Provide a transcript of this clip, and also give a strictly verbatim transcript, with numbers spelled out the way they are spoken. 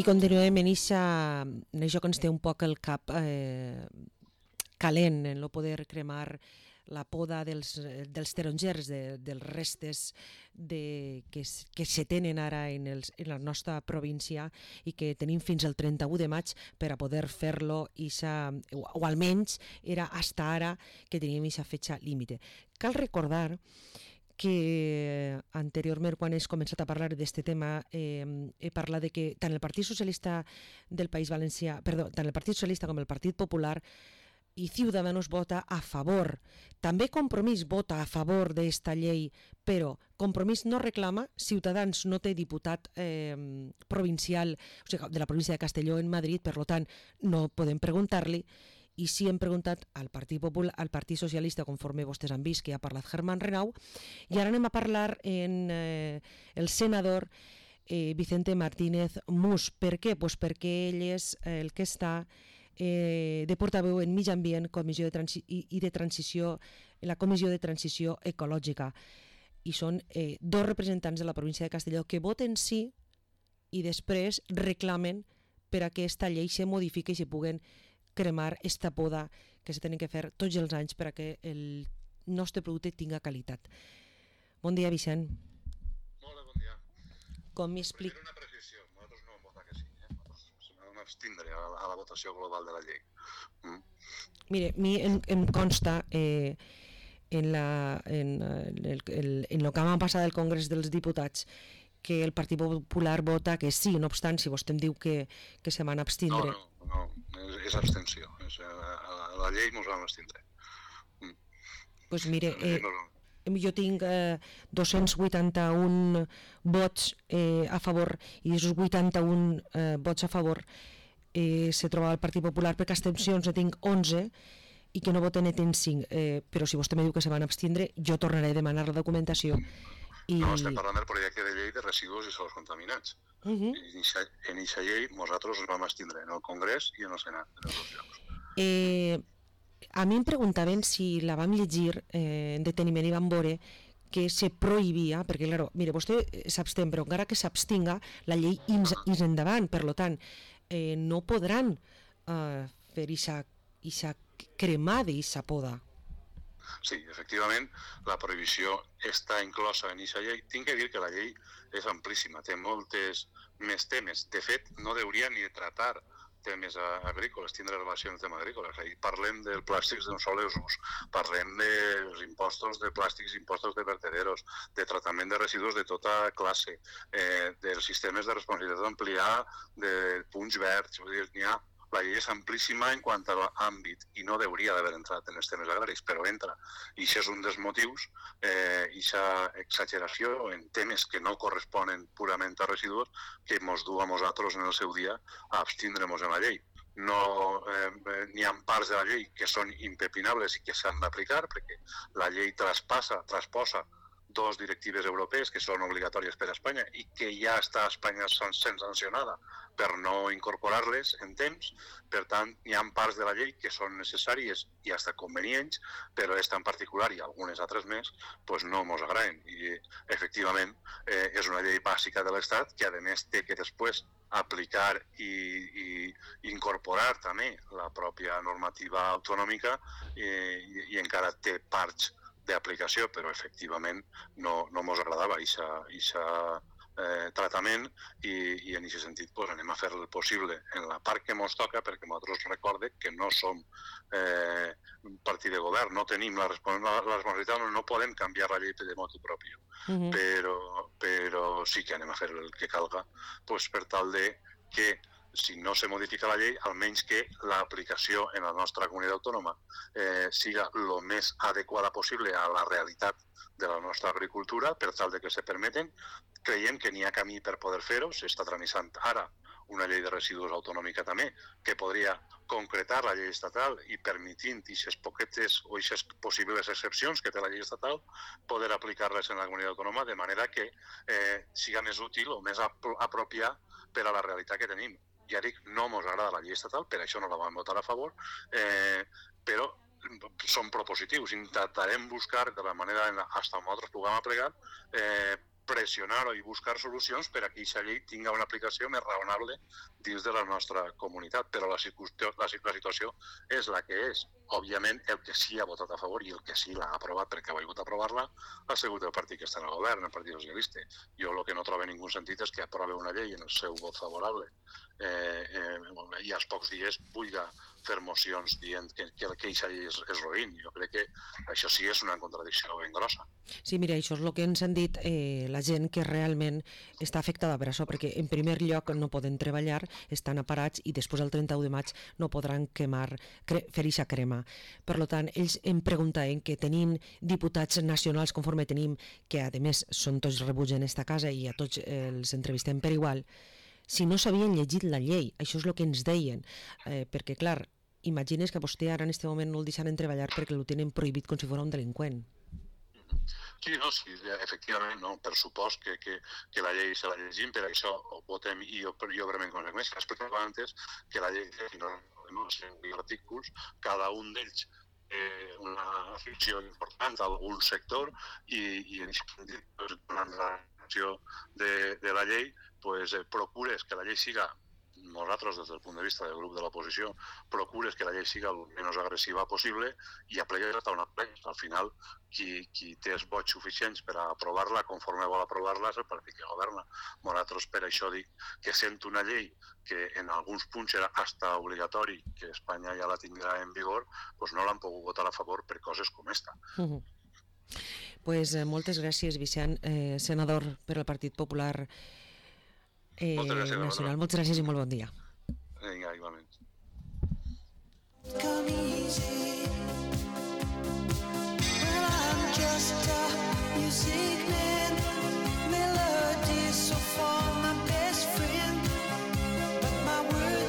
continuem en això que ens té un poc el cap eh, calent en no poder cremar la poda dels, dels tarongers, de, dels restes de, que, que se tenen ara en, els, en la nostra província i que tenim fins al trenta-u de maig per a poder fer-lo, o, o almenys era hasta ara que teníem aquesta fetxa límite. Cal recordar que anteriorment, quan has començat a parlar d'aquest tema, eh, he parlat de que tant el Partit Socialista del País Valencià, perdó, tant el Partit Socialista com el Partit Popular i Ciudadanos vota a favor. També Compromís vota a favor d'esta llei, però Compromís no reclama, Ciutadans no té diputat eh, provincial, o sigui, de la província de Castelló en Madrid, per tant no podem preguntar-li, i sí hem preguntat al Partit Popular, al Partit Socialista, conforme vostès han vist que ja ha parlat Germán Renau, i ara anem a parlar en eh, el senador eh, Vicente Martínez Mus. Per què? Pues perquè ell és eh, el que està eh, de portaveu en Mig Ambient comissió de transi i, i de transició, en la Comissió de Transició Ecològica. I són eh, dos representants de la província de Castelló que voten sí i després reclamen per a que aquesta llei se modifiqui i se puguen cremar esta poda que se tenen que fer tots els anys per a que el nostre producte tinga qualitat. Bon dia, Vicent. Molt bon dia. Com m'explica? Primera una precisió, nosaltres no vam votar que sí, eh? Nosaltres vam abstindre a la, a la votació global de la llei. Mm. Mire, a mi em, em consta eh, en, la, en, el, el, en el que va passar del Congrés dels Diputats que el Partit Popular vota que sí, no obstant, si vostè em diu que, que se van abstindre. No, no, no, és, és abstenció. És, a, a la llei ens vam abstindre. Mm. Pues mire, eh, jo tinc eh, dos-cents vuitanta-un vots eh, a favor i d'aquests vuitanta-un eh, vots a favor eh, se troba el Partit Popular, perquè abstencions ne tinc onze i que no voten ne tinc cinc, eh, però si vostè me diu que se van abstindre, jo tornaré a demanar la documentació. I... No, estem parlant del projecte de llei de residus i sols contaminats. Uh -huh. En aquesta llei nosaltres ens vam abstindre en el Congrés i en el Senat, en els dos llocs. Eh, a mi em preguntaven si la vam llegir eh, en deteniment i vam veure que se prohibia, perquè, claro, mire, vostè s'abstén, però encara que s'abstinga, la llei ins, ins endavant, per tant, eh, no podran eh, fer aquesta cremada i aquesta poda. Sí, efectivament, la prohibició està inclosa en aquesta llei. Tinc que dir que la llei és amplíssima, té moltes més temes. De fet, no hauria ni de tratar temes agrícoles, tindre relació amb el tema agrícola. Parlem dels plàstics d'un sol ús, parlem dels impostos de plàstics, impostos de vertederos, de tractament de residus de tota classe, eh, dels sistemes de responsabilitat ampliada, de punts verds, vull dir, n'hi ha. La llei és amplíssima en quant a l'àmbit i no hauria d'haver entrat en els temes agraris, però entra. I això és un dels motius, eh, aquesta exageració en temes que no corresponen purament a residus, que ens du a nosaltres en el seu dia a abstindre-nos en la llei. No, eh, n'hi ha parts de la llei que són impepinables i que s'han d'aplicar, perquè la llei traspassa, trasposa dos directives europees que són obligatòries per a Espanya i que ja està a Espanya sent sancionada per no incorporar-les en temps. Per tant, hi ha parts de la llei que són necessàries i fins convenients, però aquesta en particular i algunes altres més doncs no ens agraden. I, efectivament, eh, és una llei bàsica de l'Estat que, a més, té que després aplicar i, i incorporar també la pròpia normativa autonòmica eh, i, i encara té parts d'aplicació, però efectivament no, no ens agradava aquest eh, tractament i, i en aquest sentit pues, anem a fer el possible en la part que ens toca, perquè nosaltres recordem que no som eh, un partit de govern, no tenim la, respons la, la responsabilitat, no, no podem canviar la llei de motu propi, uh-huh. però, però sí que anem a fer el que calga pues, per tal de que si no se modifica la llei, almenys que l'aplicació en la nostra comunitat autònoma eh, siga el més adequada possible a la realitat de la nostra agricultura, per tal de que se permeten. Creiem que n'hi ha camí per poder fer-ho, s'està tramitant ara una llei de residus autonòmica també, que podria concretar la llei estatal i permitint aquestes poquetes o aquestes possibles excepcions que té la llei estatal, poder aplicar-les en la comunitat autònoma de manera que eh, siga més útil o més apropiat per a la realitat que tenim. Ja dic, no ens agrada la llei estatal, per això no la vam votar a favor, eh, però són propositius. Intentarem buscar de la manera, fins on nosaltres puguem aplicar, eh, pressionar-ho i buscar solucions per a que aquesta llei tingui una aplicació més raonable dins de la nostra comunitat. Però la, la, la situació és la que és. Òbviament, el que sí ha votat a favor i el que sí l'ha aprovat perquè ha volgut aprovar-la ha sigut el partit que està en el govern, el Partit Socialista. Jo el que no trobo ningú sentit és que aprove una llei en el seu vot favorable eh, eh, i als pocs dies vulgui fer mocions dient que, que aquesta llei és, és roïn. Jo crec que això sí és una contradicció ben grossa. Sí, mira, això és el que ens han dit eh, la gent que realment està afectada per això, perquè en primer lloc no poden treballar, estan aparats i després el trenta-u de maig no podran quemar, cre fer eixa crema. Per tant, ells em preguntaven que tenim diputats nacionals conforme tenim, que a més són tots rebuts en esta casa i a tots els entrevistem per igual, si no s'havien llegit la llei. Això és el que ens deien, eh, perquè clar, imagines que a vostè ara en aquest moment no el deixaran treballar perquè el tenen prohibit com si fos un delinqüent. Sí, no, sí, efectivament, no, per supost que, que, que la llei se la llegim, per això ho votem i jo, jo breument conseqüència. Explicava antes que la llei té no, cinc artículos, cada un d'ells eh, una afecció important a algun sector i, i en aquest sentit, pues, durant la acció de, de la llei, pues, eh, procures que la llei siga, nosaltres des del punt de vista del grup de l'oposició, procures que la llei siga el menys agressiva possible i aplegues a una plena. Al final, qui, qui té els vots suficients per a aprovar-la, conforme vol aprovar-la, és el partit que governa. Nosaltres per això dic que sent una llei que en alguns punts era hasta obligatori, que Espanya ja la tindrà en vigor, doncs no l'han pogut votar a favor per coses com esta. Uh -huh. Pues, eh, moltes gràcies, Vicent, eh, senador per al Partit Popular Eh, moltes gràcies, nacional. Moltes gràcies i molt bon dia. Vinga, igualment.